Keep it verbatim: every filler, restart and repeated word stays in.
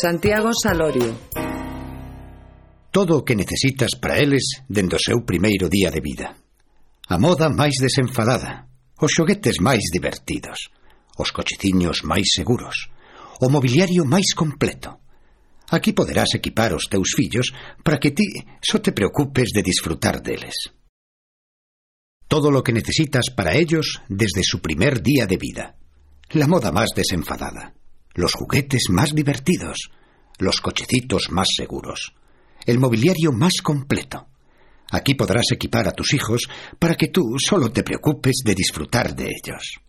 Santiago Salorio. Todo o que necesitas para eles dende o seu primeiro día de vida. A moda máis desenfadada, os xoguetes máis divertidos, os cocheciños máis seguros, o mobiliario máis completo. Aquí poderás equipar os teus fillos para que ti só te preocupes de disfrutar deles. Todo lo que necesitas para ellos desde su primer día de vida. La moda más desenfadada, los juguetes más divertidos, los cochecitos más seguros, el mobiliario más completo. Aquí podrás equipar a tus hijos para que tú solo te preocupes de disfrutar de ellos.